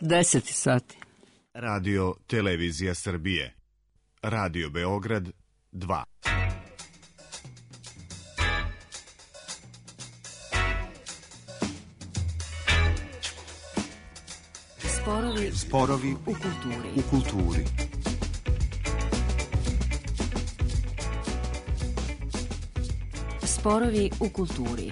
10 sati. Radio Televizija Srbije. Radio Beograd 2. Sporovi u kulturi. Sporovi u kulturi.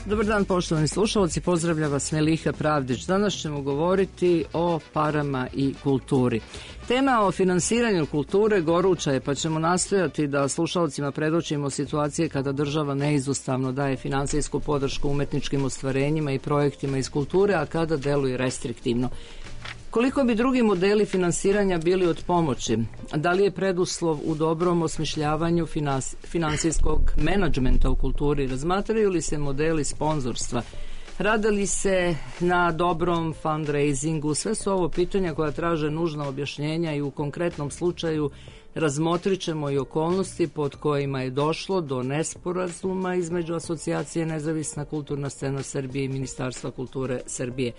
Dobar dan, poštovani slušalci, pozdravlja vas Meliha Pravdić. Danas ćemo govoriti o parama i kulturi. Tema o finansiranju kulture goruća je, pa ćemo nastojati da slušalcima predočimo situacije kada država neizostavno daje finansijsku podršku umetničkim ostvarenjima i projektima iz kulture, a kada deluje restriktivno. Koliko bi drugi modeli finansiranja bili od pomoći? Da li je preduslov u dobrom osmišljavanju finansijskog menadžmenta u kulturi? Razmatraju li se modeli sponzorstva? Rade li se na dobrom fundraisingu? Sve su ovo pitanja koja traže nužna objašnjenja i u konkretnom slučaju razmotrit ćemo i okolnosti pod kojima je došlo do nesporazuma između Asocijacije Nezavisna kulturna scena Srbije i Ministarstva kulture Srbije.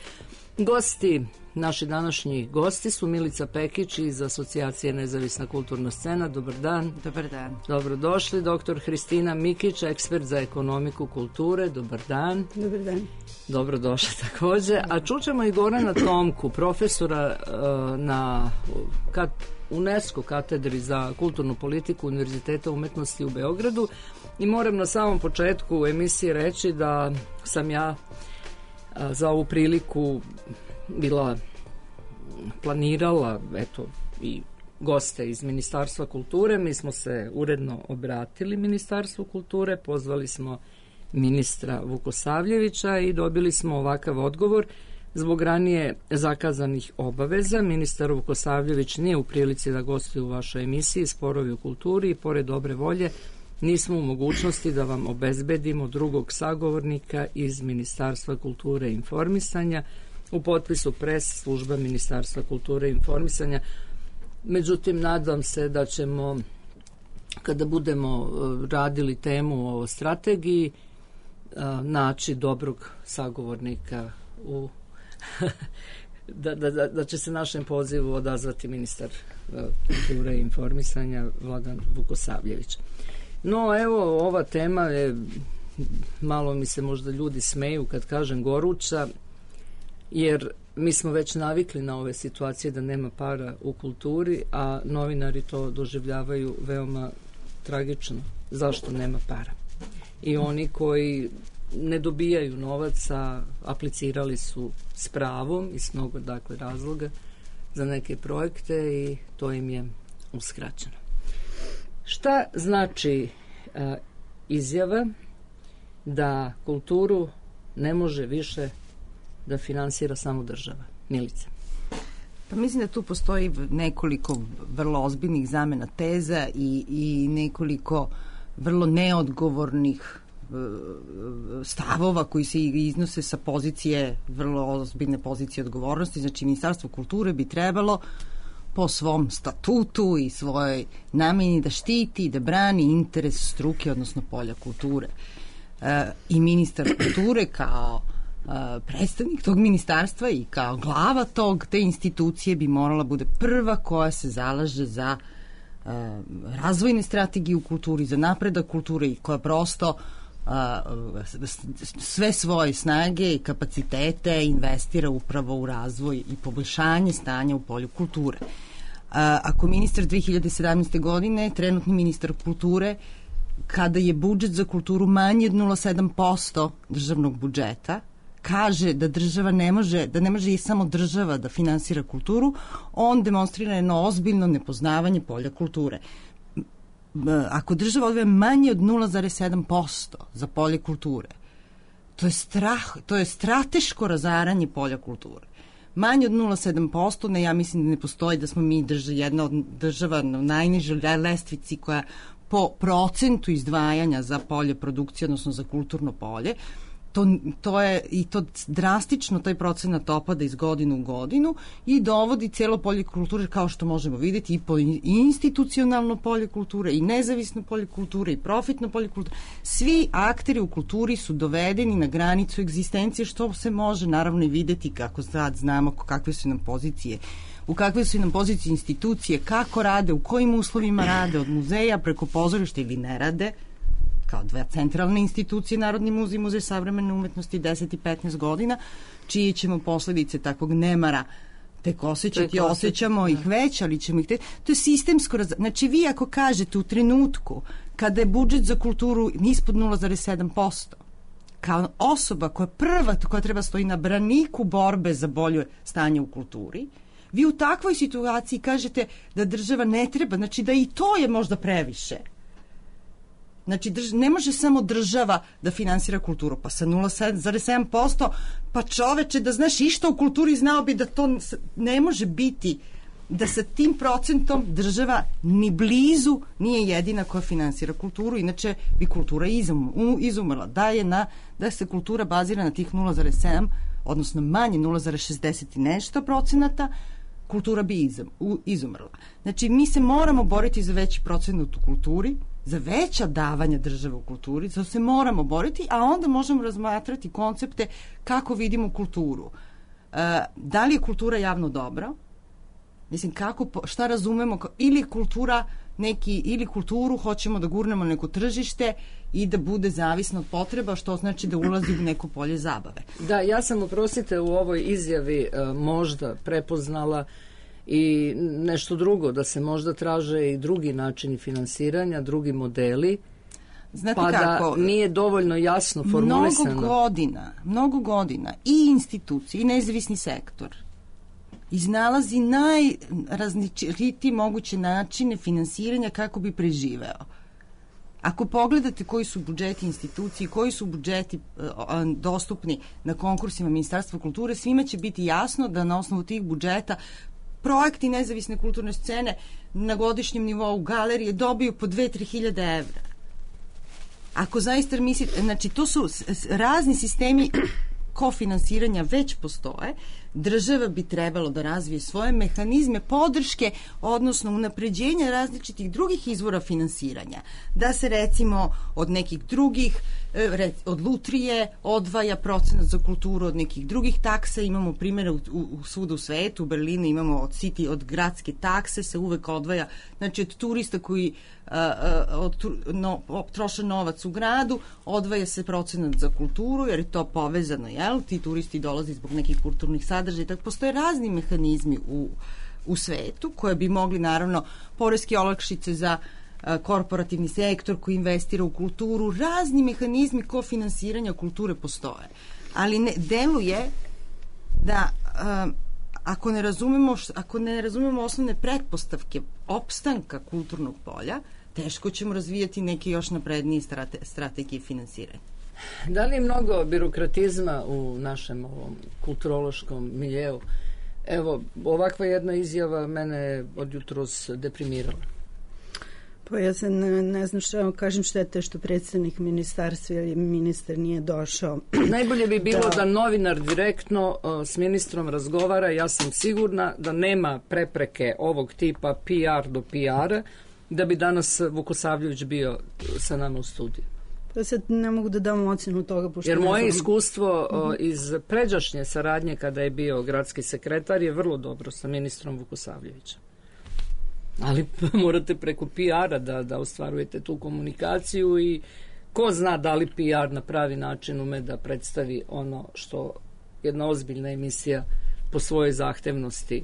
Naši današnji gosti su Milica Pekić iz Asocijacije Nezavisna kulturna scena. Dobar dan. Dobar dan. Dobrodošli. Dr. Hristina Mikić, ekspert za ekonomiku kulture. Dobar dan. Dobar dan. Dobrodošli takođe. A čućemo i Gorana Tomku, profesora na UNESCO katedri za kulturnu politiku Univerziteta umetnosti u Beogradu. I moram na samom početku emisije reći da sam ja za ovu priliku bila planirala, eto, i goste iz Ministarstva kulture. Mi smo se uredno obratili Ministarstvu kulture, pozvali smo ministra Vukosavljevića i dobili smo ovakav odgovor. Zbog ranije zakazanih obaveza, ministar Vukosavljević nije u prilici da gostuje u vašoj emisiji Sporovi u kulturi i pored dobre volje nismo u mogućnosti da vam obezbedimo drugog sagovornika iz Ministarstva kulture i informisanja. U potpisu pres služba Ministarstva kulture i informisanja. Međutim, nadam se da ćemo, kada budemo radili temu o strategiji, naći dobrog sagovornika da će se našem pozivu odazvati ministar kulture i informisanja Vladan Vukosavljević. No, evo, ova tema je, malo mi se možda ljudi smeju kad kažem goruća, jer mi smo već navikli na ove situacije da nema para u kulturi, a novinari to doživljavaju veoma tragično. Zašto nema para? I oni koji ne dobijaju novac, a aplicirali su s pravom i s mnogo razloga za neke projekte i to im je uskraćeno. Šta znači izjava da kulturu ne može više da finansira samo država? Milica. Pa mislim da tu postoji nekoliko vrlo ozbiljnih zamena teza i nekoliko vrlo neodgovornih stavova koji se iznose sa pozicije, vrlo ozbiljne pozicije odgovornosti. Znači, Ministarstvo kulture bi trebalo po svom statutu i svojoj nameni da štiti i da brani interes struke, odnosno polja kulture. I ministar kulture kao predstavnik tog ministarstva i kao glava te institucije bi morala bude prva koja se zalaže za razvojne strategije u kulturi, za napredak kulture i koja prosto sve svoje snage i kapacitete investira upravo u razvoj i poboljšanje stanja u polju kulture. Ako ministar 2017. godine, trenutni ministar kulture, kada je budžet za kulturu manji od 0,7% državnog budžeta, kaže da država ne može i samo država da finansira kulturu, on demonstrira jedno ozbiljno nepoznavanje polja kulture. Ako država odvaja manje od 0,7% za polje kulture, to je strateško razaranje polja kulture. Manje od 0,7%, ja mislim da ne postoji da smo mi jedna od država na najnižoj lestvici koja po procentu izdvajanja za polje produkcije, odnosno za kulturno polje, to je i to drastično taj procenat opada iz godinu u godinu i dovodi cijelo polje kulture, kao što možemo vidjeti, i institucionalno polje kulture, i nezavisno polje kulture, i profitno polje kulture. Svi akteri u kulturi su dovedeni na granicu egzistencije, što se može naravno i vidjeti, kako sad znamo kakve su nam pozicije, u kakve su nam pozicije institucije, kako rade, u kojim uslovima rade, od muzeja preko pozorišta ili ne rade, kao dve centralne institucije, Narodni muzej i Muzej savremene umetnosti, 10 i 15 godina, čije ćemo posledice takvog nemara tek osjećamo ih već, ali ćemo ih to je sistemsko znači vi ako kažete u trenutku kada je budžet za kulturu ispod 0,7%, kao osoba koja treba stoji na braniku borbe za bolje stanje u kulturi, vi u takvoj situaciji kažete da država ne treba, znači da i to je možda previše. Znači, ne može samo država da finansira kulturu, pa sa 0,7%, pa čoveče, da znaš išta u kulturi, znao bi da to ne može biti, da sa tim procentom država ni blizu nije jedina koja finansira kulturu, inače bi kultura izumrla. Da se kultura bazira na tih 0,7, odnosno manje 0,60 i nešto procenata, kultura bi izumrla. Znači, mi se moramo boriti za veći procenat u kulturi, za veća davanja države u kulturi, zato se moramo boriti, a onda možemo razmatrati koncepte kako vidimo kulturu. Da li je kultura javno dobro? Mislim, šta razumemo, ili kultura ili kulturu hoćemo da gurnemo neko tržište i da bude zavisno od potreba, što znači da ulazi u neko polje zabave. Da, ja sam, oprostite, u ovoj izjavi možda prepoznala i nešto drugo, da se možda traže i drugi načini finansiranja, drugi modeli. Znate pa kako, da nije dovoljno jasno formulisano. Mnogo godina i institucije i nezavisni sektor iznalazi najrazličitije moguće načine finansiranja kako bi preživeo. Ako pogledate koji su budžeti instituciji, koji su budžeti dostupni na konkursima Ministarstva kulture, svima će biti jasno da na osnovu tih budžeta projekti nezavisne kulturne scene na godišnjem nivou galerije dobiju po 2-3 hiljade evra. Ako zaista mislite, znači to su razni sistemi kofinansiranja već postoje, država bi trebalo da razvije svoje mehanizme podrške, odnosno unapređenja različitih drugih izvora finansiranja. Da se recimo od nekih drugih, od lutrije odvaja procenat za kulturu, od nekih drugih taksa, imamo primjere svuda u svetu, u Berlinu imamo od gradske takse se uvek odvaja, znači od turista koji troše novac u gradu, odvaja se procenat za kulturu, jer je to povezano, jel? Ti turisti dolaze zbog nekih kulturnih sadržaja, tako postoje razni mehanizmi u svetu koje bi mogli, naravno, poreske olakšice za korporativni sektor koji investira u kulturu, razni mehanizmi kofinansiranja kulture postoje. Ali ne deluje da ako ne razumemo osnovne pretpostavke opstanka kulturnog polja, teško ćemo razvijati neke još naprednije strategije finansiranja. Da li je mnogo birokratizma u našem ovom kulturološkom miljeu? Evo, ovakva jedna izjava mene od jutros deprimirala. Pa ja se ne znam što kažem, štete što predstavnik ministarstva ili ministar nije došao. Najbolje bi bilo da novinar direktno s ministrom razgovara. Ja sam sigurna da nema prepreke ovog tipa PR do PR-a, da bi danas Vukosavljević bio sa nama u studiju. Pa sad ne mogu da dam ocenu toga. Jer moje iskustvo iz pređašnje saradnje kada je bio gradski sekretar je vrlo dobro sa ministrom Vukosavljevićem. Ali morate preko PR-a da ostvarujete tu komunikaciju i ko zna da li PR na pravi način ume da predstavi ono što jedna ozbiljna emisija po svojoj zahtevnosti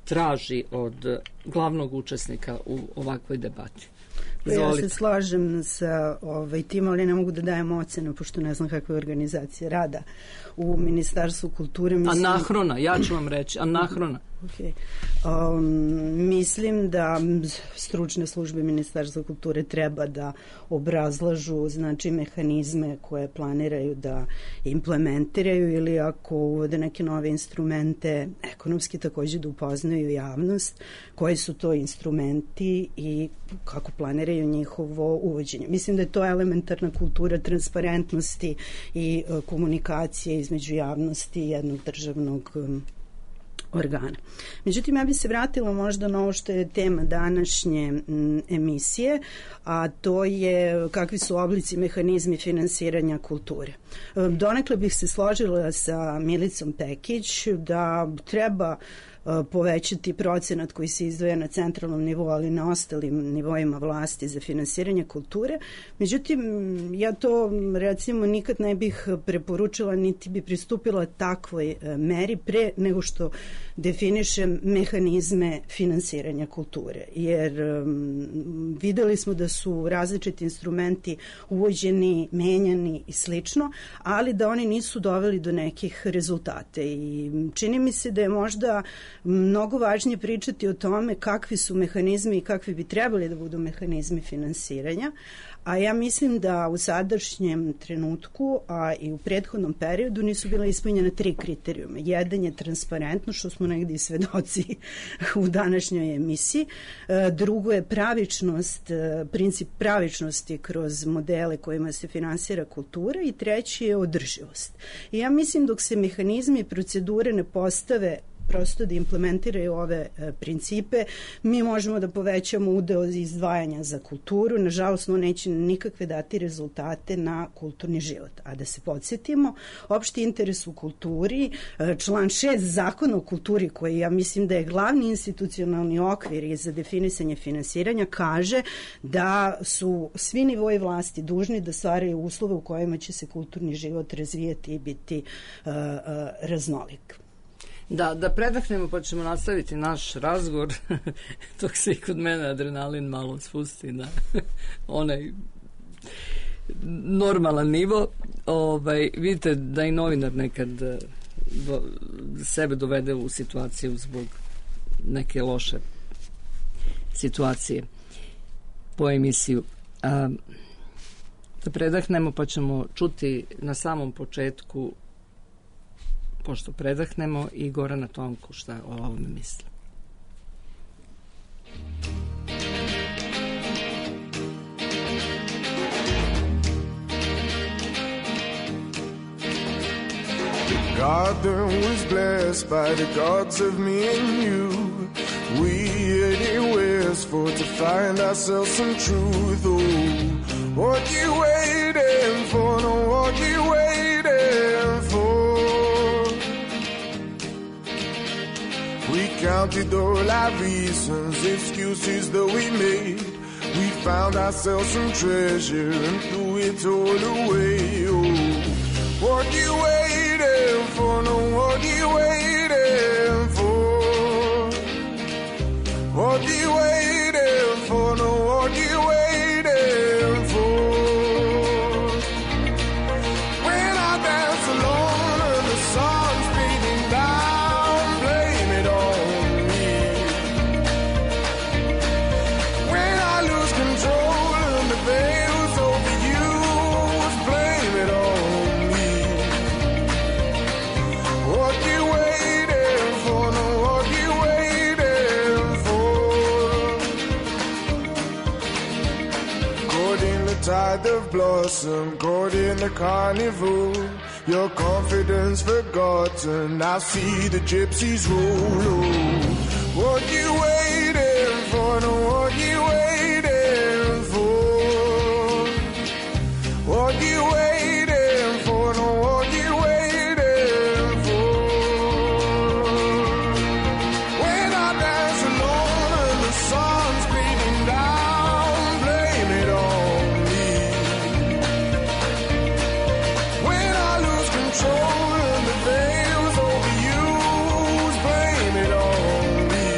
traži od glavnog učesnika u ovakvoj debati. Izvolite. Ja se slažem sa tim, ali ne mogu da dajem ocenu, pošto ne znam kakva je organizacija rada u Ministarstvu kulture. Anahrona, ja ću vam reći, anahrona. Okay. Mislim da stručne službe Ministarstva kulture treba da obrazlažu znači mehanizme koje planiraju da implementiraju ili ako uvode neke nove instrumente ekonomski takođe da upoznaju javnost koji su to instrumenti i kako planiraju njihovo uvođenje. Mislim da je to elementarna kultura transparentnosti i komunikacije između javnosti i jednog državnog organa. Međutim, ja bih se vratila možda na ovo što je tema današnje emisije, a to je kakvi su oblici mehanizmi finansiranja kulture. Donekle bih se složila sa Milicom Pekić da treba povećati procenat koji se izdvaja na centralnom nivou, ali na ostalim nivoima vlasti za finansiranje kulture. Međutim, ja to recimo nikad ne bih preporučila niti bi pristupila takvoj meri pre nego što definišem mehanizme finansiranja kulture. Jer videli smo da su različiti instrumenti uvođeni, menjani i slično, ali da oni nisu doveli do nekih rezultate. I čini mi se da je možda mnogo važnije pričati o tome kakvi su mehanizmi i kakvi bi trebali da budu mehanizmi finansiranja, a ja mislim da u sadašnjem trenutku, a i u prethodnom periodu nisu bila ispunjena 3 kriterijuma. Jedan je transparentno, što smo negdje svedoci u današnjoj emisiji. Drugo je pravičnost, princip pravičnosti kroz modele kojima se finansira kultura i treći je održivost. I ja mislim dok se mehanizmi i procedure ne postave prosto da implementiraju ove principe, mi možemo da povećamo udeo izdvajanja za kulturu, nažalost on neće nikakve dati rezultate na kulturni život. A da se podsjetimo, opšti interes u kulturi, član 6 Zakona o kulturi, koji ja mislim da je glavni institucionalni okvir za definisanje finansiranja, kaže da su svi nivoji vlasti dužni da stvaraju uslove u kojima će se kulturni život razvijati i biti raznolik. Da predahnemo pa ćemo nastaviti naš razgovor dok se i kod mene adrenalin malo spusti na onaj normalan nivo. Vidite da i novinar nekad sebe dovede u situaciju zbog neke loše situacije po emisiju. Da predahnemo pa ćemo čuti na samom početku, pošto predahnemo, i Gorana Tomku šta o ovome misli. The garden was blessed by the gods of me and you. We anywheres for to find ourselves some truth. Oh, what you waiting for? No, what you waiting for? We counted all our reasons, excuses that we made. We found ourselves some treasure and threw it all away. Oh, what you waiting for? No, what you waiting for? What you waiting for? No, what you waiting for? When I dance alone and the sun's beating down, blame it on me. When I lose control and the veil's overused, blame it on me. What you waiting for? No, what you waiting for? Caught in the tide of blossom, caught in the carnival. Your confidence forgotten, I see the gypsies roll. What you waiting for? No, what you waiting for? What you waiting for? No, what you waiting for? When I dance alone and the sun's beating down, blame it on me. When I lose control and the veil's overused, blame it on me.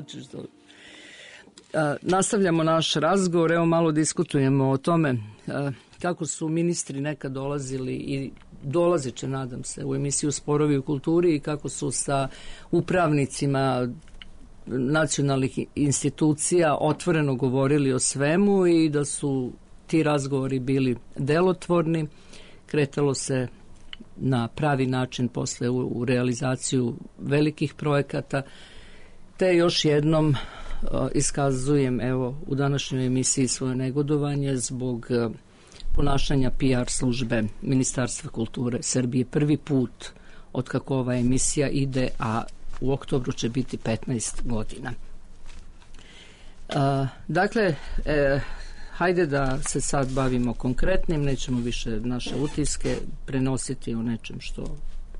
hoćeš da... Nastavljamo naš razgovor, evo malo diskutujemo o tome kako su ministri nekad dolazili i dolazit će, nadam se, u emisiju Sporovi u kulturi i kako su sa upravnicima nacionalnih institucija otvoreno govorili o svemu i da su ti razgovori bili delotvorni. Kretalo se na pravi način posle u realizaciju velikih projekata, te još jednom iskazujem evo u današnjoj emisiji svoje negodovanje zbog ponašanja PR službe Ministarstva kulture Srbije. Prvi put od kako ova emisija ide, a u oktobru će biti 15 godina. Dakle, hajde da se sad bavimo konkretnim, nećemo više naše utiske prenositi o nečem što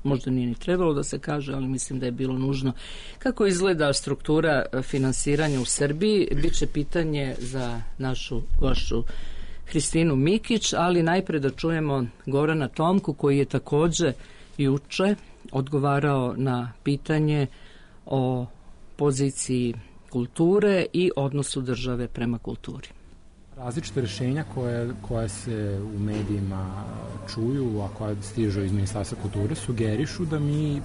možda nije ni trebalo da se kaže, ali mislim da je bilo nužno. Kako izgleda struktura finansiranja u Srbiji, bit će pitanje za našu gošću Hristinu Mikić, ali najpre da čujemo Gorana Tomku koji je takođe juče odgovarao na pitanje o poziciji kulture i odnosu države prema kulturi. Različite rešenja koje se u medijima čuju, a koje stižu iz Ministarstva kulture, sugerišu da mi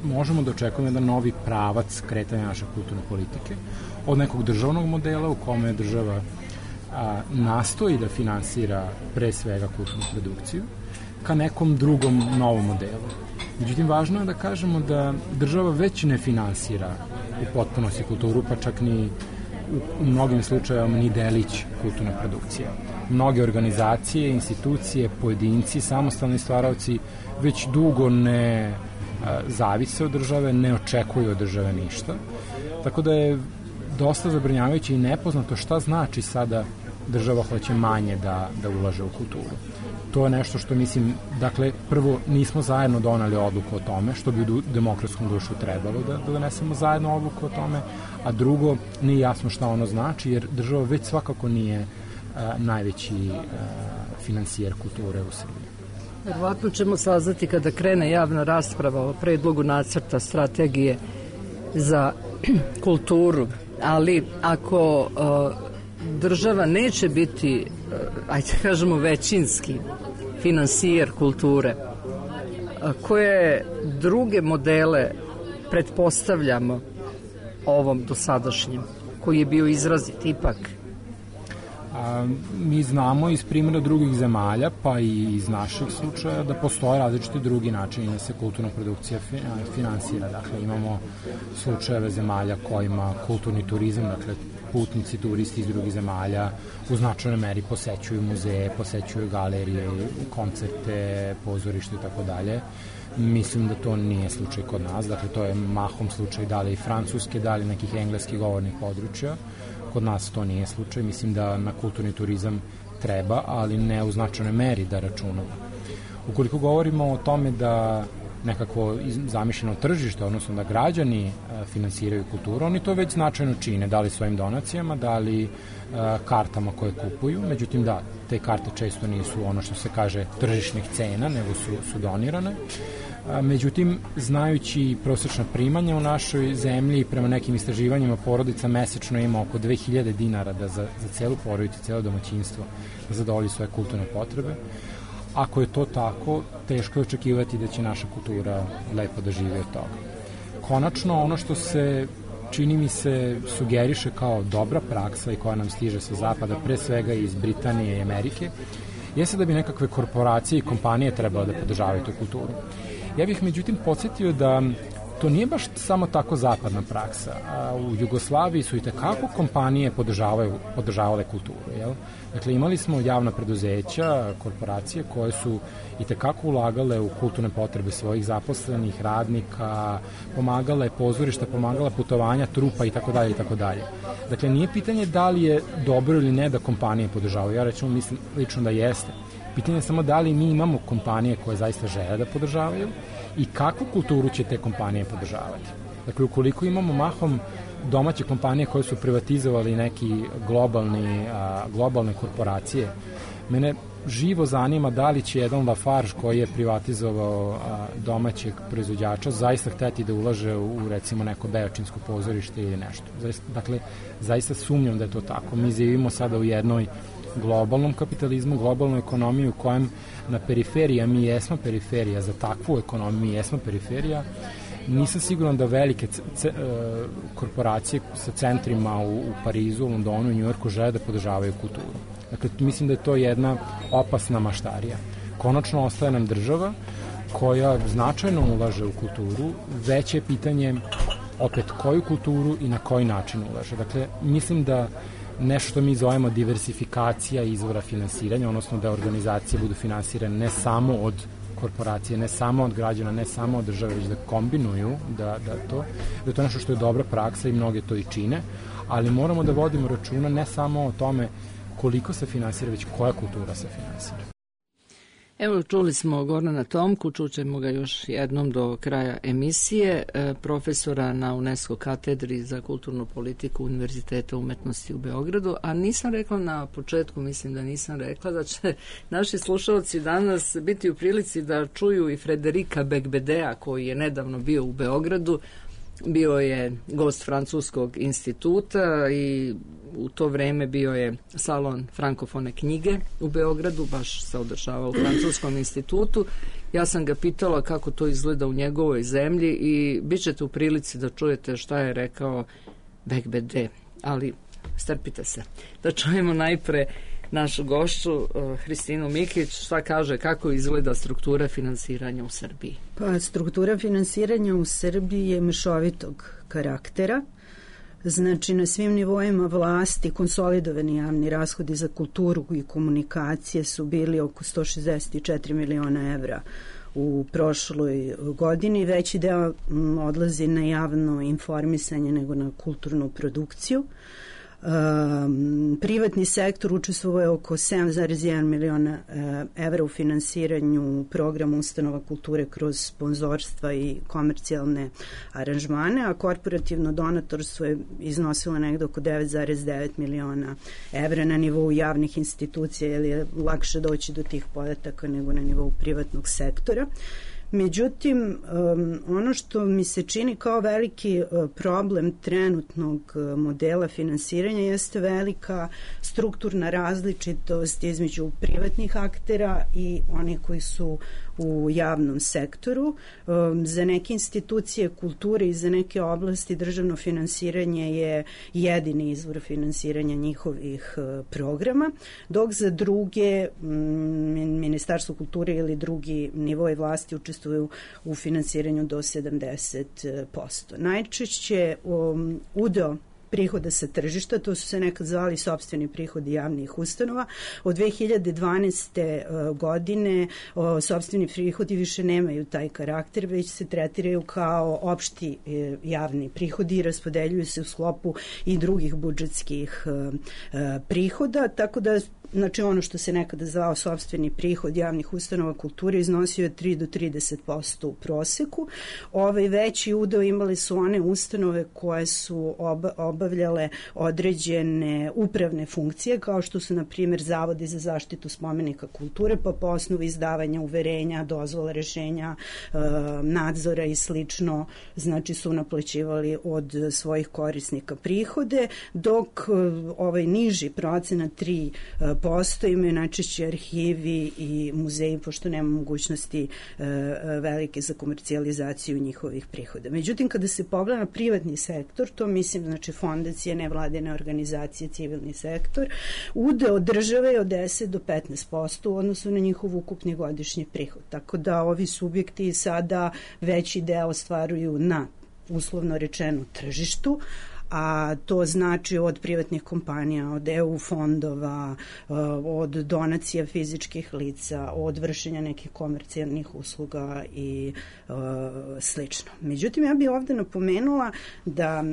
možemo da očekujemo jedan novi pravac kretanja naše kulturne politike od nekog državnog modela u kome država nastoji da finansira pre svega kulturnu produkciju ka nekom drugom novom modelu. Međutim, važno je da kažemo da država već ne finansira u potpunosti kulturu, pa čak ni u mnogim slučajevima ni delić kulturne produkcije. Mnoge organizacije, institucije, pojedinci, samostalni stvaraoci već dugo ne zavise od države, ne očekuju od države ništa. Tako da je dosta zabrinjavajuće i nepoznato šta znači sada država hoće manje da ulaže u kulturu. To je nešto što mislim, dakle, prvo nismo zajedno donali odluku o tome, što bi u demokratskom društvu trebalo da donesemo zajedno odluku o tome, a drugo, nije jasno šta ono znači, jer država već svakako nije najveći finansijer kulture u Srbiji. Verovatno ćemo saznati kada krene javna rasprava o predlogu nacrta strategije za kulturu, ali ako država neće biti, ajde kažemo, većinski finansijer kulture, koje druge modele pretpostavljamo ovom dosadašnjem, koji je bio izrazit ipak? Mi znamo iz primjera drugih zemalja, pa i iz naših slučaja, da postoje različiti drugi načini da se kulturna produkcija finansira. Dakle, imamo slučajeve zemalja kojima kulturni turizam, dakle, putnici, turisti iz drugih zemalja u značajnoj meri posećuju muzeje, posećuju galerije, koncerte, pozorište i tako dalje. Mislim da to nije slučaj kod nas, dakle, to je mahom slučaj da li francuske, da li nekih engleskih govornih područja. Kod nas to nije slučaj, mislim da na kulturni turizam treba, ali ne u značajnoj meri da računamo. Ukoliko govorimo o tome da nekako zamišljeno tržište, odnosno da građani finansiraju kulturu, oni to već značajno čine, da li svojim donacijama, da li kartama koje kupuju, međutim da, te karte često nisu ono što se kaže tržišnih cena, nego su donirane. Međutim, znajući prosječna primanja u našoj zemlji, prema nekim istraživanjima porodica mesečno ima oko 2000 dinara da za celu porodicu, celo domaćinstvo zadovolji svoje kulturne potrebe. Ako je to tako, teško je očekivati da će naša kultura lepo da živi od toga. Konačno, ono što se, čini mi se, sugeriše kao dobra praksa i koja nam stiže sa zapada, pre svega iz Britanije i Amerike, jeste da bi nekakve korporacije i kompanije trebalo da podržavaju tu kulturu. Ja bih međutim podsjetio da to nije baš samo tako zapadna praksa. U Jugoslaviji su i tekako kompanije podržavale kulturu. Jel? Dakle, imali smo javna preduzeća, korporacije koje su i tekako ulagale u kulturne potrebe svojih zaposlenih, radnika, pomagale pozorišta, pomagala putovanja, trupa i tako dalje i tako dalje. Dakle, nije pitanje da li je dobro ili ne da kompanije podržavaju. Ja recimo mislim lično da jeste. Pitanje je samo da li mi imamo kompanije koje zaista žele da podržavaju i kakvu kulturu će te kompanije podržavati. Dakle, ukoliko imamo mahom domaće kompanije koje su privatizovali neki globalne korporacije, Mene živo zanima da li će jedan Lafarge koji je privatizovao domaćeg proizvođača zaista hteti da ulaže u recimo neko beočinsko pozorište ili nešto. Dakle, zaista sumnjam da je to tako. Mi živimo sada u jednoj globalnom kapitalizmu, globalnoj ekonomiji u kojem na periferiji, a mi jesmo periferija, za takvu ekonomiju mi jesmo periferija, nisam siguran da velike korporacije sa centrima u Parizu, Londonu i Njujorku žele da podržavaju kulturu. Dakle, mislim da je to jedna opasna maštarija. Konačno ostaje nam država koja značajno ulaže u kulturu, veće je pitanje opet koju kulturu i na koji način ulaže. Dakle, mislim da nešto što mi zovemo diversifikacija izvora finansiranja, odnosno da organizacije budu finansirane ne samo od korporacije, ne samo od građana, ne samo od države, već da kombinuju, da je to nešto što je dobra praksa i mnoge to i čine, ali moramo da vodimo računa ne samo o tome koliko se finansira, već koja kultura se finansira. Evo, čuli smo Gorana Tomku, čućemo ga još jednom do kraja emisije, profesora na UNESCO katedri za kulturnu politiku Univerziteta umetnosti u Beogradu, a nisam rekla na početku, mislim da nisam rekla da će naši slušalci danas biti u prilici da čuju i Frederika Becbedea, koji je nedavno bio u Beogradu. Bio je gost Francuskog instituta i u to vreme bio je salon frankofone knjige u Beogradu, baš se održavao u Francuskom institutu. Ja sam ga pitala kako to izgleda u njegovoj zemlji i bit ćete u prilici da čujete šta je rekao Becbede, ali strpite se. Da čujemo najpre našu gošću Hristinu Mikić, šta kaže, kako izgleda struktura finansiranja u Srbiji? Pa, struktura finansiranja u Srbiji je mešovitog karaktera. Znači, na svim nivoima vlasti konsolidovani javni rashodi za kulturu i komunikacije su bili oko 164 miliona evra u prošloj godini. Veći deo odlazi na javno informisanje nego na kulturnu produkciju. Privatni sektor učestvuje oko 7,1 miliona evra u finansiranju programa ustanova kulture kroz sponzorstva i komercijalne aranžmane, a korporativno donatorstvo je iznosilo negde oko 9,9 miliona evra na nivou javnih institucija, jer je lakše doći do tih podataka nego na nivou privatnog sektora. Međutim, ono što mi se čini kao veliki problem trenutnog modela finansiranja jeste velika strukturna različitost između privatnih aktera i onih koji su u javnom sektoru. Za neke institucije kulture i za neke oblasti državno finansiranje je jedini izvor finansiranja njihovih programa, dok za druge Ministarstvo kulture ili drugi nivoi vlasti učestvuju u finansiranju do 70%. Najčešće udeo prihoda sa tržišta, to su se nekad zvali sopstveni prihodi javnih ustanova. Od 2012. godine sopstveni prihodi više nemaju taj karakter, već se tretiraju kao opšti javni prihodi i raspodeljuju se u sklopu i drugih budžetskih prihoda, tako da znači ono što se nekada zvao sopstveni prihod javnih ustanova kulture iznosio je 3 do 30% u proseku. Veći udeo imali su one ustanove koje su obavljale određene upravne funkcije, kao što su, na primjer, zavodi za zaštitu spomenika kulture, pa po osnovu izdavanja uverenja, dozvola, rešenja, nadzora i slično, znači su naplaćivali od svojih korisnika prihode, dok ovaj niži procenat 3% imaju najčešće arhivi i muzeji, pošto nema mogućnosti velike za komercijalizaciju njihovih prihoda. Međutim, kada se pogleda na privatni sektor, to mislim, znači fondacije, nevladine organizacije, civilni sektor, udeo države je od 10 do 15% u odnosu na njihov ukupni godišnji prihod. Tako da ovi subjekti sada veći deo ostvaruju na, uslovno rečeno, tržištu, a to znači od privatnih kompanija, od EU fondova, od donacija fizičkih lica, od vršenja nekih komercijalnih usluga i slično. Međutim, ja bih ovde napomenula da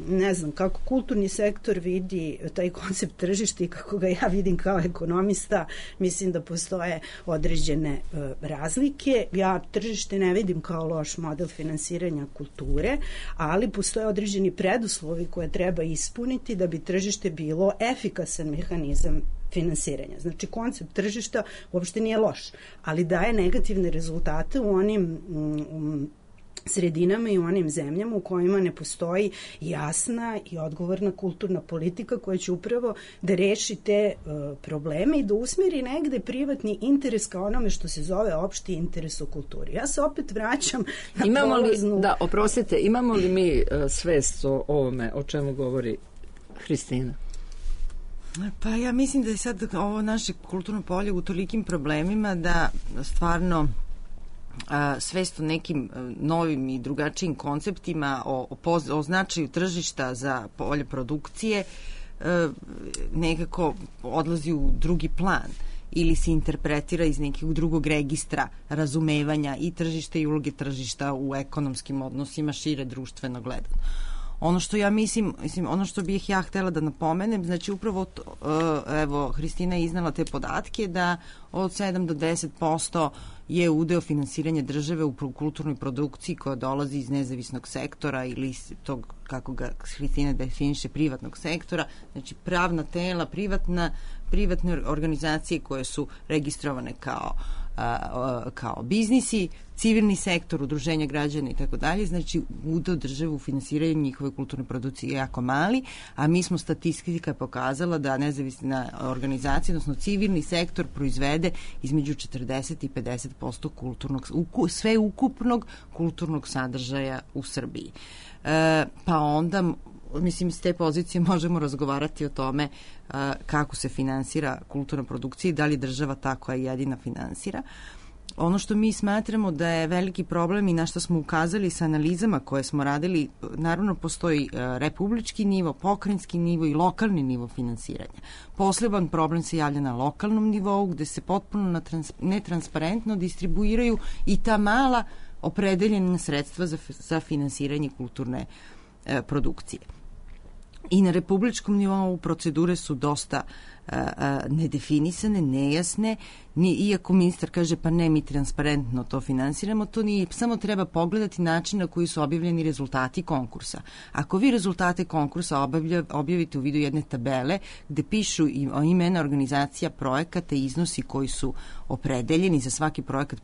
ne znam kako kulturni sektor vidi taj koncept tržišta i kako ga ja vidim kao ekonomista, mislim da postoje određene razlike. Ja tržište ne vidim kao loš model finansiranja kulture, ali postoje određeni preduslovi uslovi koje treba ispuniti da bi tržište bilo efikasan mehanizam finansiranja. Znači, koncept tržišta uopšte nije loš, ali daje negativne rezultate u onim sredinama i u onim zemljama u kojima ne postoji jasna i odgovorna kulturna politika koja će upravo da reši te probleme i da usmeri negde privatni interes kao onome što se zove opšti interes u kulturi. Ja se opet vraćam na polaznu... Oprostite, imamo li mi svest o ovome o čemu govori Hristina? Pa ja mislim da je sad ovo naše kulturno polje u tolikim problemima da stvarno svest o nekim novim i drugačijim konceptima, o značaju tržišta za polje produkcije nekako odlazi u drugi plan ili se interpretira iz nekog drugog registra razumevanja i tržišta i uloge tržišta u ekonomskim odnosima šire društveno gledano. Ono što ja mislim, ono što bih ja htela da napomenem, znači upravo evo, Hristina je iznala te podatke da od 7 do 10% je udeo finansiranja države u kulturnoj produkciji koja dolazi iz nezavisnog sektora ili tog, kako ga Hristina definiše, privatnog sektora, znači pravna tela, privatne organizacije koje su registrovane kao biznisi, civilni sektor, udruženja građana i tako dalje, znači udeo države u finansiranju njihove kulturne produkcije je jako mali, a mi smo statistika pokazala da nezavisna organizacija, odnosno civilni sektor proizvede između 40 i 50% sve ukupnog kulturnog sadržaja u Srbiji. Pa onda, mislim, s te pozicije možemo razgovarati o tome kako se finansira kulturna produkcija i da li država ta koja jedina finansira. Ono što mi smatramo da je veliki problem i na što smo ukazali sa analizama koje smo radili, naravno postoji republički nivo, pokrajinski nivo i lokalni nivo finansiranja. Poseban problem se javlja na lokalnom nivou gde se potpuno netransparentno distribuiraju i ta mala opredeljena sredstva za finansiranje kulturne produkcije. I na republičkom nivou procedure su dosta nedefinisane, nejasne, iako ministar kaže pa ne, mi transparentno to finansiramo, to nije, samo treba pogledati način na koji su objavljeni rezultati konkursa. Ako vi rezultate konkursa objavite u vidu jedne tabele gde pišu imena organizacija, projekata i iznosi koji su opredeljeni za svaki projekat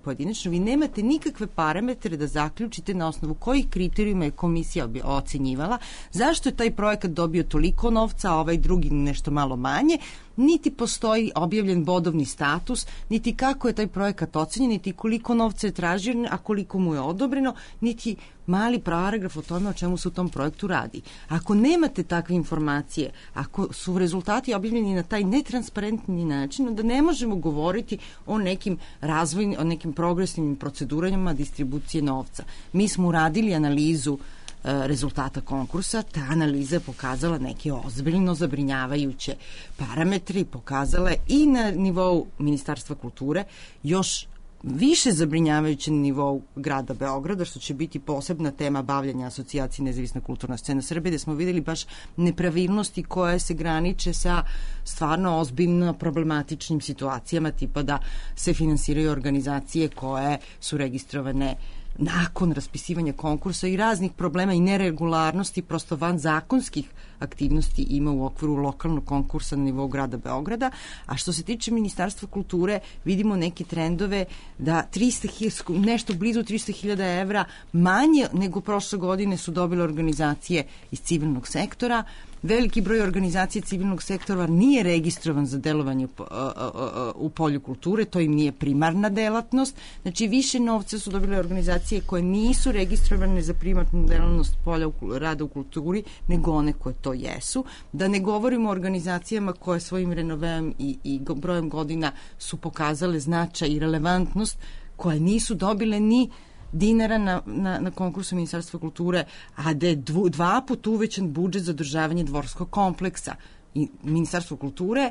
pojedinačno, vi nemate nikakve parametre da zaključite na osnovu kojih kriterijuma je komisija ocenjivala, zašto je taj projekat dobio toliko novca, a ovaj drugi nešto malo manje, niti postoji objavljen bodovni status, niti kako je taj projekat ocenjen, niti koliko novca je tražio, a koliko mu je odobreno, niti mali paragraf o tome o čemu se u tom projektu radi. Ako nemate takve informacije, ako su rezultati objavljeni na taj netransparentni način, onda ne možemo govoriti o nekim razvojnim, o nekim progresivnim procedurama distribucije novca. Mi smo uradili analizu rezultata konkursa, ta analiza je pokazala neke ozbiljno zabrinjavajuće parametre i pokazala je i na nivou Ministarstva kulture još više zabrinjavajuće na nivou grada Beograda, što će biti posebna tema bavljanja asocijacije Nezavisna kulturna scena Srbije, gde smo videli baš nepravilnosti koje se graniče sa stvarno ozbiljno problematičnim situacijama, tipa da se finansiraju organizacije koje su registrovane nakon raspisivanja konkursa i raznih problema i neregularnosti, prosto van zakonskih aktivnosti ima u okviru lokalnog konkursa na nivou grada Beograda. A što se tiče Ministarstva kulture, vidimo neke trendove da nešto blizu 300.000 evra manje nego prošle godine su dobile organizacije iz civilnog sektora. Veliki broj organizacija civilnog sektora nije registrovan za delovanje u polju kulture, to im nije primarna delatnost. Znači, više novca su dobile organizacije koje nisu registrovane za primarnu delatnost polja rada u kulturi, nego one koje to jesu. Da ne govorimo o organizacijama koje svojim renoveom i brojem godina su pokazale značaj i relevantnost, koje nisu dobile ni dinara na konkursu Ministarstva kulture, a da je 2 puta uvećan budžet za održavanje dvorskog kompleksa. I Ministarstvo kulture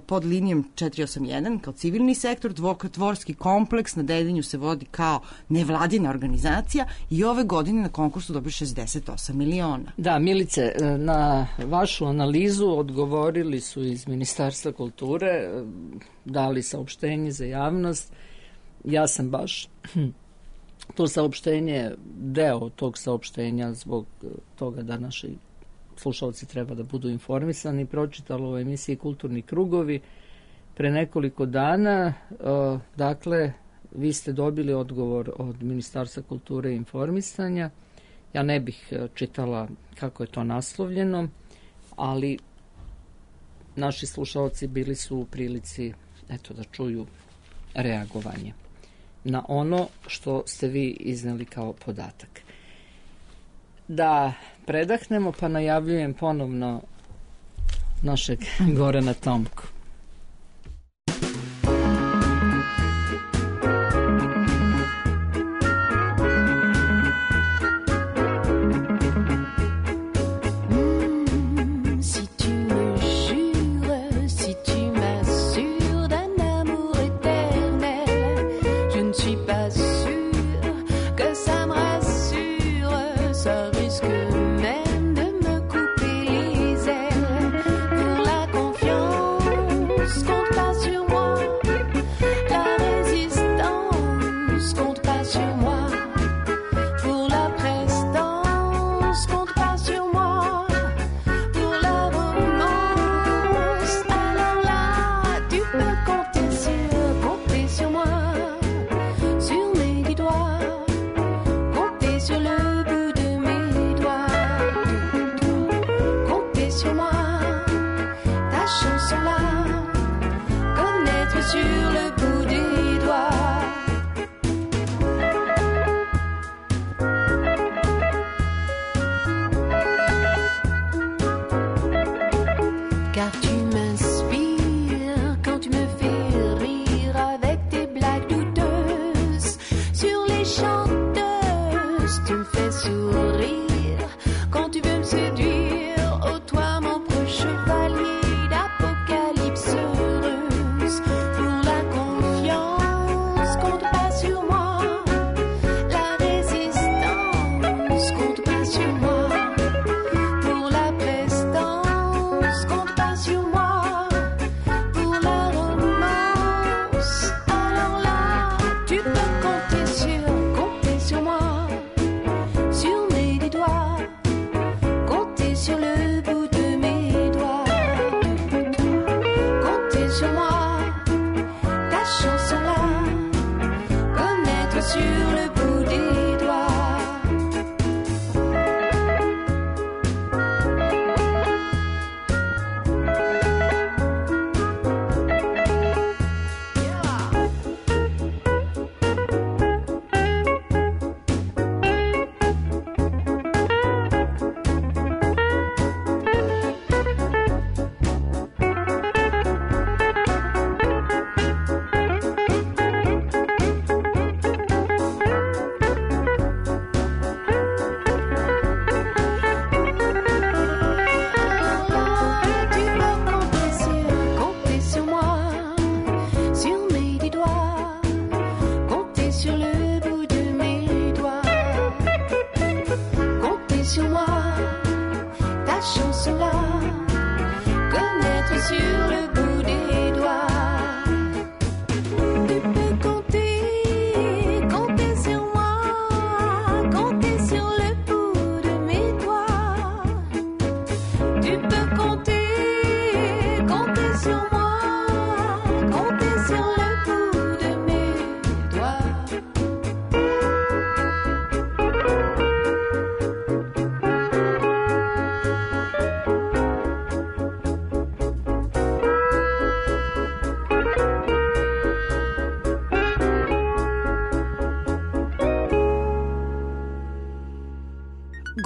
pod linijom 481 kao civilni sektor, dvorski kompleks na Dedinju se vodi kao nevladina organizacija i ove godine na konkursu dobio 68 miliona. Da, Milice, na vašu analizu odgovorili su iz Ministarstva kulture, dali saopštenje za javnost. Ja sam baš to saopštenje, deo tog saopštenja zbog toga da naši slušalci treba da budu informisani, pročitalo u emisiji Kulturni krugovi pre nekoliko dana. Dakle, vi ste dobili odgovor od Ministarstva kulture i informisanja. Ja ne bih čitala kako je to naslovljeno, ali naši slušalci bili su u prilici da čuju reagovanje na ono što ste vi izneli kao podatak. Da predahnemo, pa najavljujem ponovno našeg Gorana Tomku.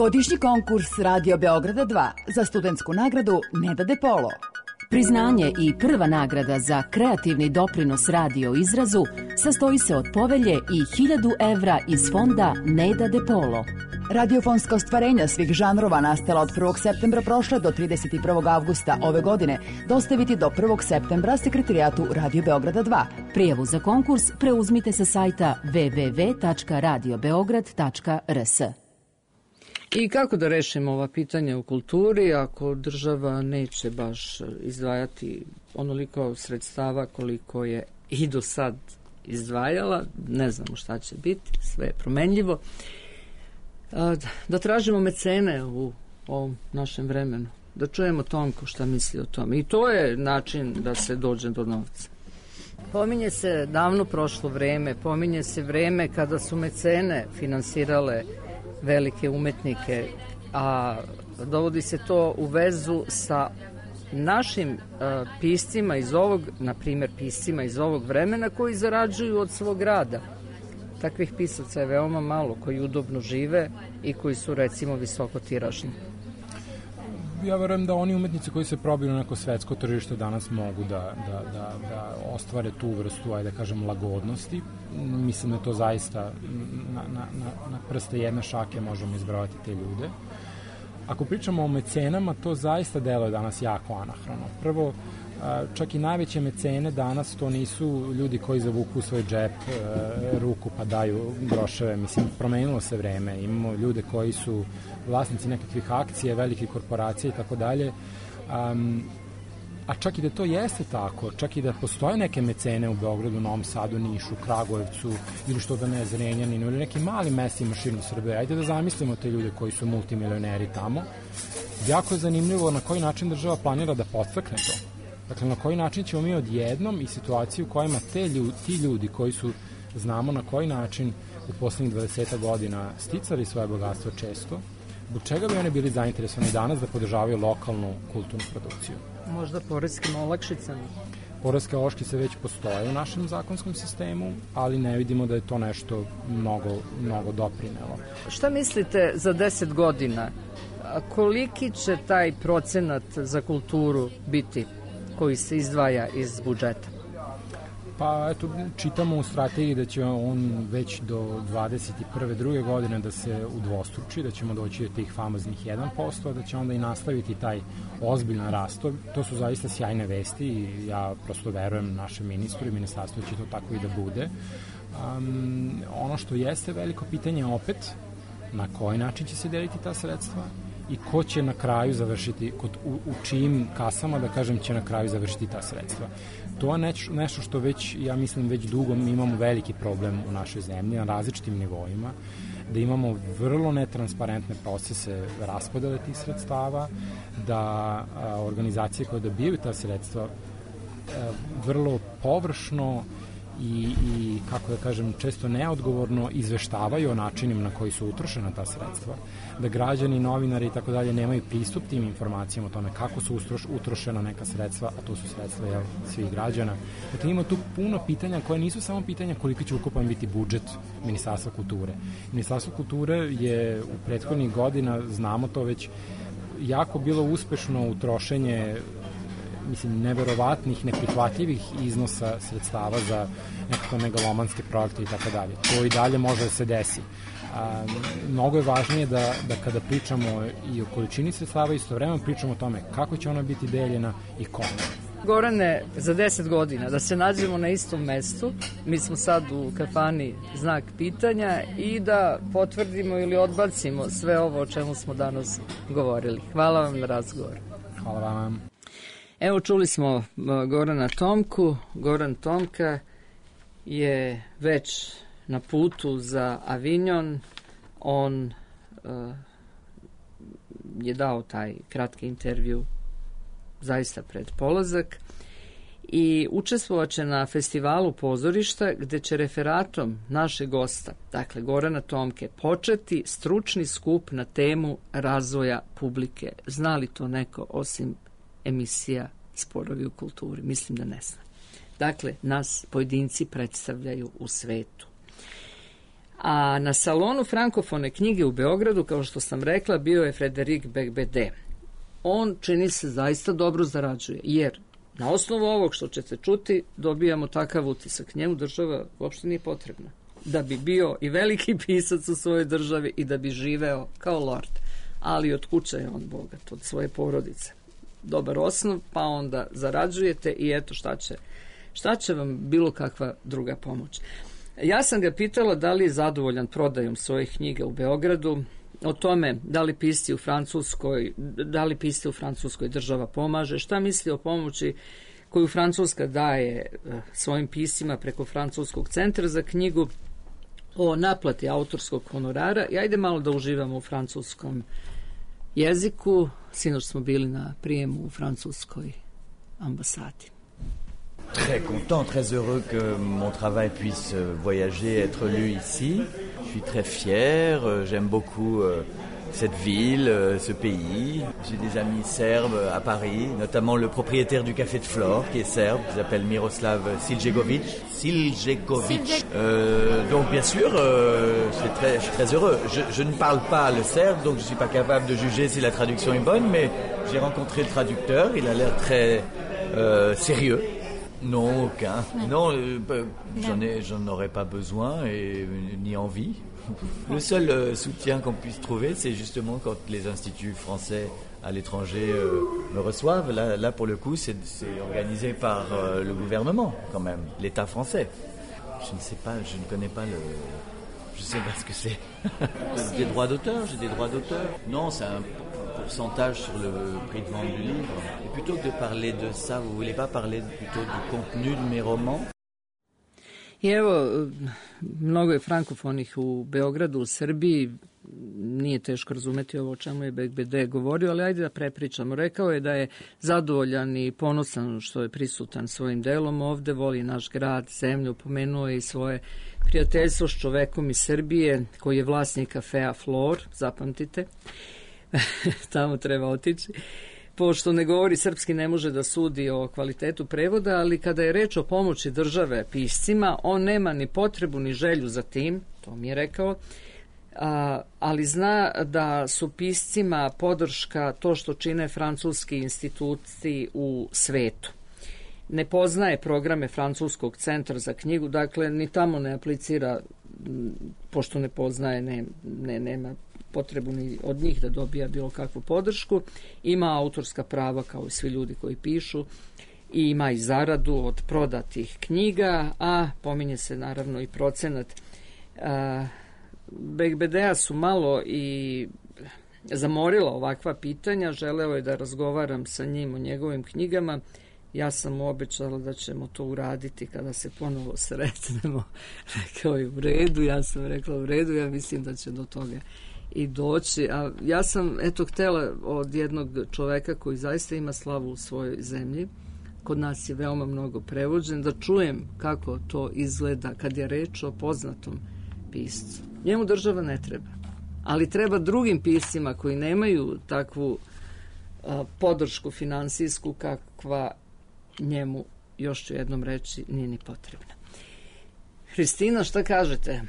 Godišnji konkurs Radio Beograda 2 za studentsku nagradu Neda De Polo. Priznanje i prva nagrada za kreativni doprinos radio izrazu sastoji se od povelje i 1000 evra iz fonda Neda De Polo. Radiofonska ostvarenja svih žanrova nastala od 1. septembra prošle do 31. avgusta ove godine dostaviti do 1. septembra Sekretarijatu Radio Beograda 2. Prijavu za konkurs preuzmite sa sajta www.radiobeograd.rs. I kako da rešimo ova pitanja u kulturi ako država neće baš izdvajati onoliko sredstava koliko je i do sad izdvajala, ne znamo šta će biti, sve je promenljivo, da tražimo mecene u ovom našem vremenu, da čujemo Tomku šta misli o tome. I to je način da se dođe do novca. Pominje se davno prošlo vreme, pominje se vreme kada su mecene finansirale velike umetnike, a dovodi se to u vezu sa našim piscima iz ovog, na primjer piscima iz ovog vremena koji zarađuju od svog rada. Takvih pisaca je veoma malo koji udobno žive i koji su recimo visoko tiražni. Ja verujem da oni umetnici koji se probiju na neko svetsko tržište danas mogu da ostvare tu vrstu, ajde da kažem, lagodnosti. Mislim da to zaista na prste jedne šake možemo izbrojati te ljude. Ako pričamo o mecenama, to zaista deluje danas jako anahrono. Prvo, čak i najveće mecene danas to nisu ljudi koji zavuku u svoj džep ruku pa daju groševe. Mislim, promenilo se vreme. Imamo ljude koji su vlasnici nekakvih akcija, velikih korporacija i tako dalje. A čak i da to jeste tako, čak i da postoje neke mecene u Beogradu, Novom Sadu, Nišu, Kragujevcu ili što da ne, Zrenjaninu ili nekim malim mestima širom Srbije. Ajde da zamislimo te ljude koji su multimilioneri tamo. Jako je zanimljivo na koji način država planira da podstakne to. Dakle, na koji način ćemo mi odjednom i situaciju u kojima ti ljudi koji su, znamo na koji način u poslednjih 20 godina sticali svoje bogatstvo često, zbog čega bi oni bili zainteresovani danas da podržavaju lokalnu kulturnu produkciju? Možda poreskim olakšicama. Poreske olakšice već postoje u našem zakonskom sistemu, ali ne vidimo da je to nešto mnogo doprinelo. Šta mislite za 10 godina? Koliki će taj procenat za kulturu biti koji se izdvaja iz budžeta? Pa eto, čitamo u strategiji da će on već do 21. druge godine da se udvostruči, da ćemo doći do tih famoznih 1%, da će onda i nastaviti taj ozbiljan rast. To su zaista sjajne vesti i ja prosto verujem našem ministru i ministarstvu će to tako i da bude. Ono što jeste veliko pitanje opet, na koji način će se deliti ta sredstva i ko će na kraju završiti, u čijim kasama, da kažem, će na kraju završiti ta sredstva. To je nešto što već, ja mislim, već dugo mi imamo veliki problem u našoj zemlji na različitim nivoima, da imamo vrlo netransparentne procese raspodele tih sredstava, da organizacije koje dobijaju ta sredstva vrlo površno i kako da kažem, često neodgovorno izveštavaju o načinima na koji su utrošena ta sredstva, da građani, novinari i tako dalje nemaju pristup tim informacijama o tome kako su utrošena neka sredstva, a to su sredstva svih građana. Dakle, ima tu puno pitanja koje nisu samo pitanja koliko će ukupan biti budžet Ministarstva kulture. Ministarstvo kulture je u prethodnih godina, znamo to već, jako bilo uspešno u trošenje neverovatnih, neprihvatljivih iznosa sredstava za nekakve megalomanske projekte i tako dalje. To i dalje može da se desi. Mnogo je važnije da kada pričamo i o količini sredstava, istovremeno pričamo o tome kako će ona biti deljena i kome. Gorane, za 10 godina da se nađemo na istom mestu, mi smo sad u kafani Znak pitanja, i da potvrdimo ili odbacimo sve ovo o čemu smo danas govorili. Hvala vam na razgovor. Hvala vam. Evo, čuli smo Gorana Tomku. Goran Tomka je već na putu za Avignon. On je dao taj kratki intervju zaista pred polazak i učestvovaće na festivalu pozorišta gde će referatom našeg gosta, dakle Gorana Tomke, početi stručni skup na temu razvoja publike. Zna li to neko osim emisija Sporovi u kulturi? Mislim da ne zna. Dakle, nas pojedinci predstavljaju u svetu. A na salonu frankofone knjige u Beogradu, kao što sam rekla, bio je Frederik Beigbeder. On, čini se, zaista dobro zarađuje, jer na osnovu ovog što ćete čuti dobijamo takav utisak. Njemu država uopšte nije potrebna. Da bi bio i veliki pisac u svojoj državi i da bi živeo kao lord. Ali od kuće je on bogat, od svoje porodice. Dobar osnov, pa onda zarađujete i eto šta će vam bilo kakva druga pomoć. Ja sam ga pitala da li je zadovoljan prodajom svojih knjiga u Beogradu, o tome da li pisci u Francuskoj država pomaže, šta misli o pomoći koju Francuska daje svojim piscima preko Francuskog centra za knjigu, o naplati autorskog honorara. I ajde malo da uživamo u francuskom jeziku. Sinoć smo bili na prijemu u francuskoj ambasadi. Très content, très heureux que mon travail puisse voyager, être lu ici. Je suis très fier, j'aime beaucoup cette ville, ce pays. J'ai des amis serbes à Paris, notamment le propriétaire du Café de Flore, qui est serbe, qui s'appelle Miroslav Siljegovic. Donc bien sûr, je suis très heureux. Je ne parle pas le serbe, donc je ne suis pas capable de juger si la traduction est bonne, mais j'ai rencontré le traducteur, il a l'air très sérieux. Non, aucun. Non, j'en aurais pas besoin et ni envie. Le seul soutien qu'on puisse trouver, c'est justement quand les instituts français à l'étranger me reçoivent. Là, pour le coup, c'est organisé par le gouvernement, quand même, l'État français. Je ne sais pas, je ne connais pas je sais pas ce que c'est. Des droits d'auteur, j'ai des droits d'auteur. Non, c'est un pourcentage sur le prix de vente du livre. Et plutôt que de parler de ça, vous voulez pas parler plutôt du contenu de mes romans? I evo, mnogo je frankofonih u Beogradu, u Srbiji. Nije teško razumeti ovo o čemu je BGBD govorio, ali ajde da prepričamo. Rekao je da je zadovoljan i ponosan što je prisutan svojim delom ovde, voli naš grad, zemlju, pomenuo je i svoje prijateljstvo s čovekom iz Srbije koji je vlasnik kafea Flor, zapamtite. Tamo treba otići. Pošto ne govori srpski, ne može da sudi o kvalitetu prevoda, ali kada je reč o pomoći države piscima, on nema ni potrebu ni želju za tim, to mi je rekao, ali zna da su piscima podrška to što čine francuski instituti u svetu. Ne poznaje programe Francuskog centra za knjigu, dakle ni tamo ne aplicira, pošto ne poznaje, nema potrebu ni od njih da dobija bilo kakvu podršku. Ima autorska prava kao i svi ljudi koji pišu i ima i zaradu od prodatih knjiga, a pominje se naravno i procenat. BGBD-a su malo i zamorila ovakva pitanja, želeo je da razgovaram sa njim o njegovim knjigama. Ja sam mu obećala da ćemo to uraditi kada se ponovo sretnemo. Rekao je u redu, ja sam rekla u redu, ja mislim da će do toga i doći. A ja sam htela od jednog čoveka koji zaista ima slavu u svojoj zemlji, kod nas je veoma mnogo prevođen, da čujem kako to izgleda kad je reč o poznatom piscu. Njemu država ne treba, ali treba drugim piscima koji nemaju takvu podršku finansijsku kakva njemu, još ću jednom reći, nije ni potrebna. Hristina, šta kažete?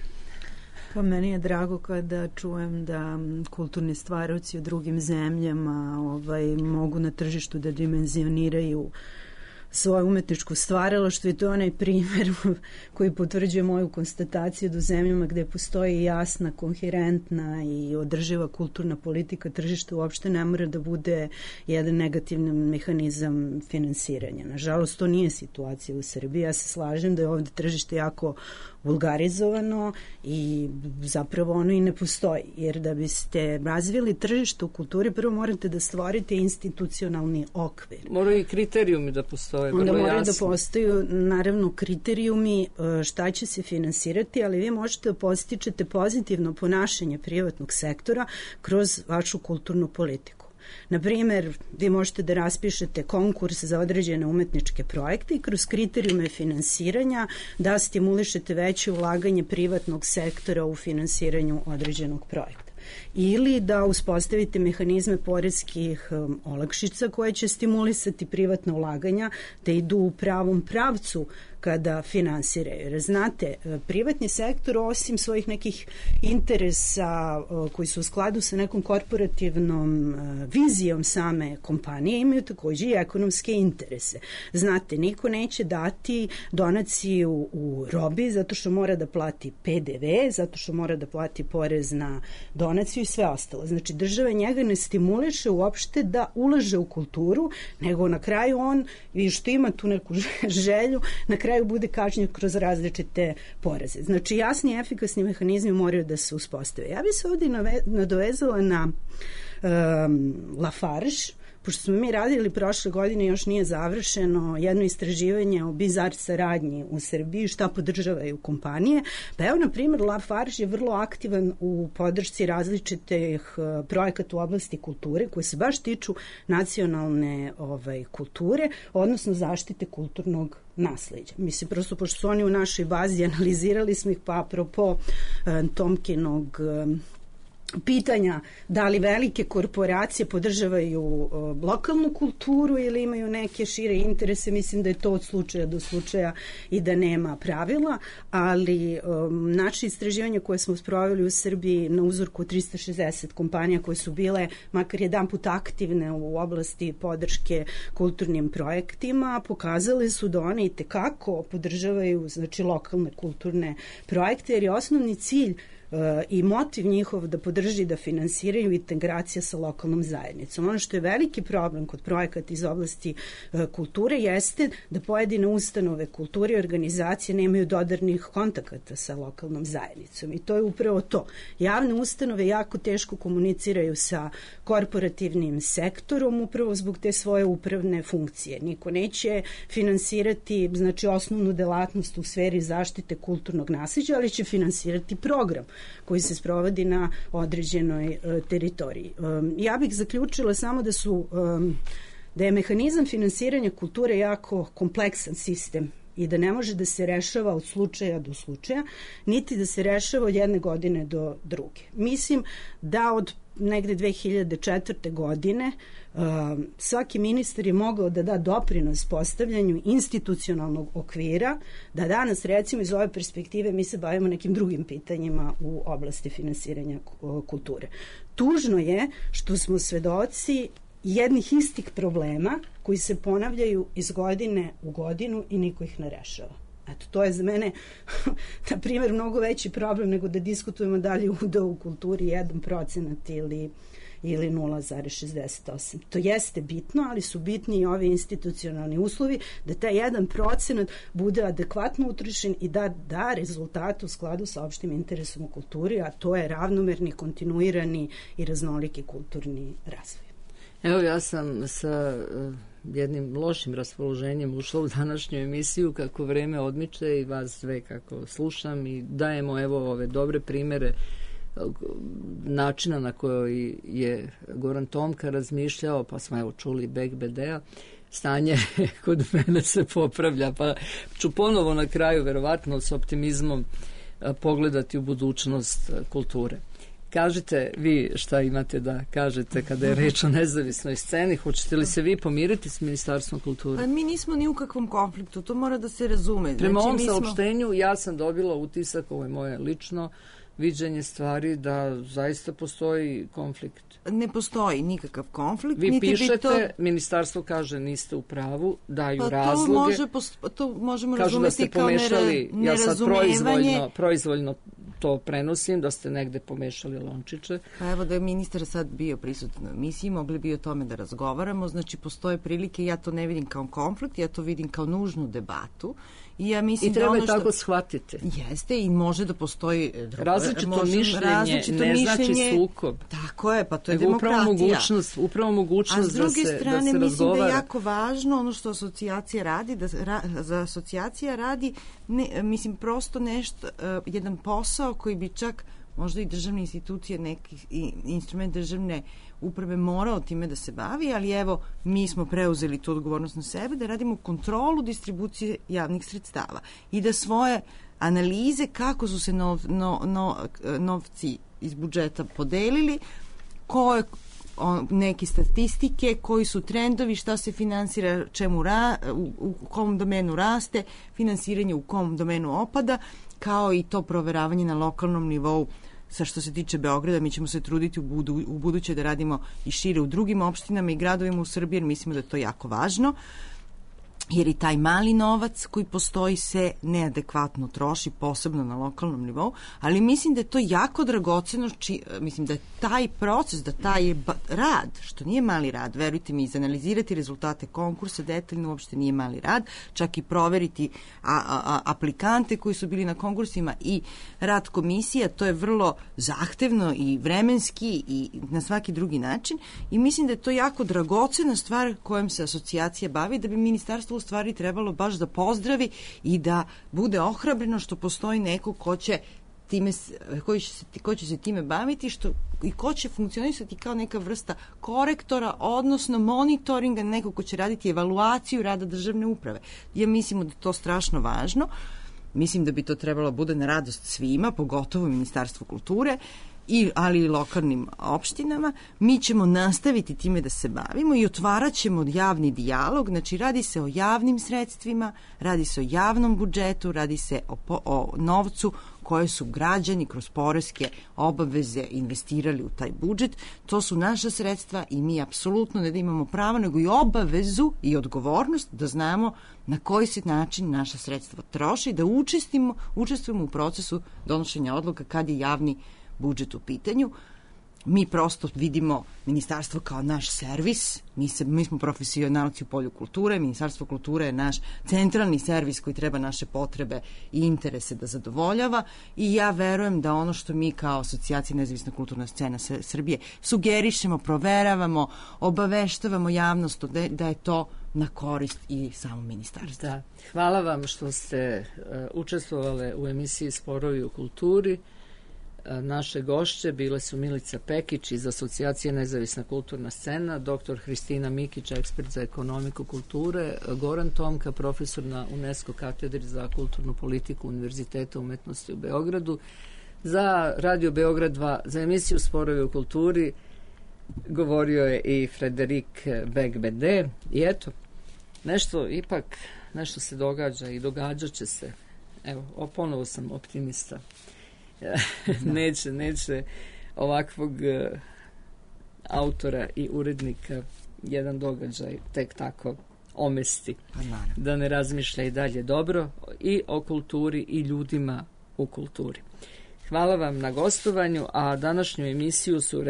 Pa meni je drago kada čujem da kulturni stvaraoci u drugim zemljama mogu na tržištu da dimenzioniraju svoje umetničko stvaralaštvo i to je onaj primjer koji potvrđuje moju konstataciju da u zemljama gde postoji jasna, koherentna i održiva kulturna politika tržišta uopšte ne mora da bude jedan negativan mehanizam finansiranja. Nažalost, to nije situacija u Srbiji. Ja se slažem da je ovde tržište jako vulgarizovano i zapravo ono i ne postoji. Jer da biste razvili tržište u kulturi, prvo morate da stvorite institucionalni okvir. Moraju i kriterijumi da postoje. Onda moraju da postoju, naravno, kriterijumi šta će se finansirati, ali vi možete da postičete pozitivno ponašanje privatnog sektora kroz vašu kulturnu politiku. Na primjer, vi možete da raspišete konkurs za određene umetničke projekte i kroz kriterijume finansiranja da stimulišete veće ulaganje privatnog sektora u finansiranju određenog projekta. Ili da uspostavite mehanizme poreskih olakšica koje će stimulisati privatna ulaganja da idu u pravom pravcu kada finansiraju. Jer znate, privatni sektor osim svojih nekih interesa koji su u skladu sa nekom korporativnom vizijom same kompanije imaju takođe i ekonomske interese. Znate, niko neće dati donaciju u robi zato što mora da plati PDV, zato što mora da plati porez na donaciju i sve ostalo. Znači, država njega ne stimuliše uopšte da ulaže u kulturu, nego na kraju on, i što ima tu neku želju, na kraju bude kažnjen kroz različite poreze. Znači, jasni i efikasni mehanizmi moraju da se uspostave. Ja bih se ovdje nadovezala na Lafarge, pošto smo mi radili prošle godine, još nije završeno jedno istraživanje o bizar saradnji u Srbiji, šta podržavaju kompanije. Pa evo, na primjer, Lafarge je vrlo aktivan u podršci različitih projekata u oblasti kulture koje se baš tiču nacionalne kulture, odnosno zaštite kulturnog nasleđa. Mislim, prosto pošto su oni u našoj bazi, analizirali smo ih, pa apropo Tomkinog pitanja da li velike korporacije podržavaju lokalnu kulturu ili imaju neke šire interese, mislim da je to od slučaja do slučaja i da nema pravila, ali naše istraživanje koje smo sproveli u Srbiji na uzorku 360 kompanija koje su bile makar jedan put aktivne u oblasti podrške kulturnim projektima, pokazali su da one itekako podržavaju, znači, lokalne kulturne projekte, jer je osnovni cilj i motiv njihov da podrži, da finansiraju integracija sa lokalnom zajednicom. Ono što je veliki problem kod projekata iz oblasti kulture jeste da pojedine ustanove kulture i organizacije nemaju dodirnih kontakata sa lokalnom zajednicom i to je upravo to. Javne ustanove jako teško komuniciraju sa korporativnim sektorom upravo zbog te svoje upravne funkcije. Niko neće finansirati, znači, osnovnu delatnost u sferi zaštite kulturnog nasleđa, ali će finansirati program koji se sprovodi na određenoj teritoriji. Ja bih zaključila samo da je mehanizam finansiranja kulture jako kompleksan sistem i da ne može da se rešava od slučaja do slučaja, niti da se rešava od jedne godine do druge. Mislim da od negde 2004. godine svaki ministar je mogao da da doprinos postavljanju institucionalnog okvira, da danas, recimo, iz ove perspektive mi se bavimo nekim drugim pitanjima u oblasti finansiranja kulture. Tužno je što smo svedoci jednih istih problema koji se ponavljaju iz godine u godinu i niko ih ne rešava. Eto, to je za mene, na primjer, mnogo veći problem nego da diskutujemo da li je udeo u kulturi 1% ili 0,68. To jeste bitno, ali su bitni i ovi institucionalni uslovi da taj 1% bude adekvatno utrošen i da rezultat u skladu sa opštim interesom u kulturi, a to je ravnomerni, kontinuirani i raznoliki kulturni razvoj. Evo, ja sam sa jednim lošim raspoloženjem ušla u današnju emisiju kako vreme odmiče i vas sve kako slušam i dajemo evo ove dobre primere načina na koji je Goran Tomka razmišljao, pa smo evo čuli Bekbedea. Stanje kod mene se popravlja, pa ću ponovo na kraju verovatno s optimizmom pogledati u budućnost kulture. Kažite vi šta imate da kažete kada je reč o nezavisnoj sceni. Hoćete li se vi pomiriti s Ministarstvom kulture? A mi nismo ni u kakvom konfliktu, to mora da se razume. Prema ovom saopštenju ja sam dobila utisak, ovo je moje lično viđenje stvari, da zaista postoji konflikt. Ne postoji nikakav konflikt. Vi pišete, ministarstvo kaže niste u pravu, daju razloge. To možemo kažu razumeti kao nerazumevanje. Ja sad proizvoljno to prenosim, da ste negde pomešali lončiće. Pa evo da je ministar sad bio prisutan u emisiji, mogli bi o tome da razgovaramo, znači postoje prilike, ja to ne vidim kao konflikt, ja to vidim kao nužnu debatu. I ja mislim I treba da je tako shvatiti. Jeste i može da postoji različito mišljenje, ne znači sukob. Tako je, pa to je demokratija. Upravo mogućnost da se razgovara. A s druge strane mislim da je jako važno ono što asocijacija radi, za asocijacija radi, mislim prosto nešto, jedan posao koji bi čak možda i državne institucije, neki instrument državne uprave morao time da se bavi, ali evo, mi smo preuzeli tu odgovornost na sebe da radimo kontrolu distribucije javnih sredstava i da svoje analize kako su se novci iz budžeta podelili, koje neke statistike, koji su trendovi, šta se finansira, u kom domenu raste, finansiranje u kom domenu opada, kao i to proveravanje na lokalnom nivou. Sa što se tiče Beograda, mi ćemo se truditi u buduće da radimo i šire u drugim opštinama i gradovima u Srbiji, jer mislimo da je to jako važno. jer i taj mali novac koji postoji se neadekvatno troši, posebno na lokalnom nivou, ali mislim da je to jako dragoceno, mislim da je taj proces, da taj rad, što nije mali rad, verujte mi, izanalizirati rezultate konkursa detaljno uopšte nije mali rad, čak i proveriti aplikante koji su bili na konkursima i rad komisija, to je vrlo zahtevno i vremenski i na svaki drugi način i mislim da je to jako dragocena stvar kojom se asocijacija bavi, da bi ministarstvo u stvari trebalo baš da pozdravi i da bude ohrabreno što postoji neko ko će se time baviti i ko će funkcionisati kao neka vrsta korektora, odnosno monitoringa, neko ko će raditi evaluaciju rada državne uprave. Ja mislim da je to strašno važno. Mislim da bi to trebalo bude na radost svima, pogotovo Ministarstvu kulture, ali i lokalnim opštinama. Mi ćemo nastaviti time da se bavimo i otvarat ćemo javni dijalog, znači radi se o javnim sredstvima, radi se o javnom budžetu, radi se o novcu koje su građani kroz poreske obaveze investirali u taj budžet. To su naša sredstva i mi apsolutno ne da imamo pravo, nego i obavezu i odgovornost da znamo na koji se način naša sredstva troši, da učestvujemo u procesu donošenja odluka kad je javni budžet u pitanju. Mi prosto vidimo ministarstvo kao naš servis, mi smo profesionalci u polju kulture, Ministarstvo kulture je naš centralni servis koji treba naše potrebe i interese da zadovoljava i ja verujem da ono što mi kao asocijacija Nezavisna kulturna scena Srbije sugerišemo, proveravamo, obaveštavamo javnost da je to na korist i samom ministarstvu. Da. Hvala vam što ste učestvovale u emisiji Sporovi u kulturi. Naše gošće bile su Milica Pekić iz Asocijacije Nezavisna kulturna scena, dr. Hristina Mikić, ekspert za ekonomiku kulture, Goran Tomka, profesor na UNESCO katedri za kulturnu politiku Univerziteta umetnosti u Beogradu. Za Radio Beograd 2, za emisiju Sporovi u kulturi govorio je i Frederik Begbede. I eto, nešto se događa i događat će se. Evo, ponovo sam optimista. neće ovakvog autora i urednika jedan događaj tek tako omesti, da ne razmišlja i dalje dobro i o kulturi i ljudima u kulturi. Hvala vam na gostovanju, a današnju emisiju su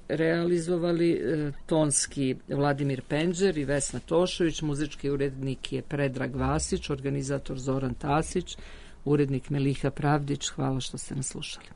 realizovali tonski Vladimir Penđer i Vesna Tošović, muzički urednik je Predrag Vasić, organizator Zoran Tasić, urednik Meliha Pravdić. Hvala što ste nas slušali.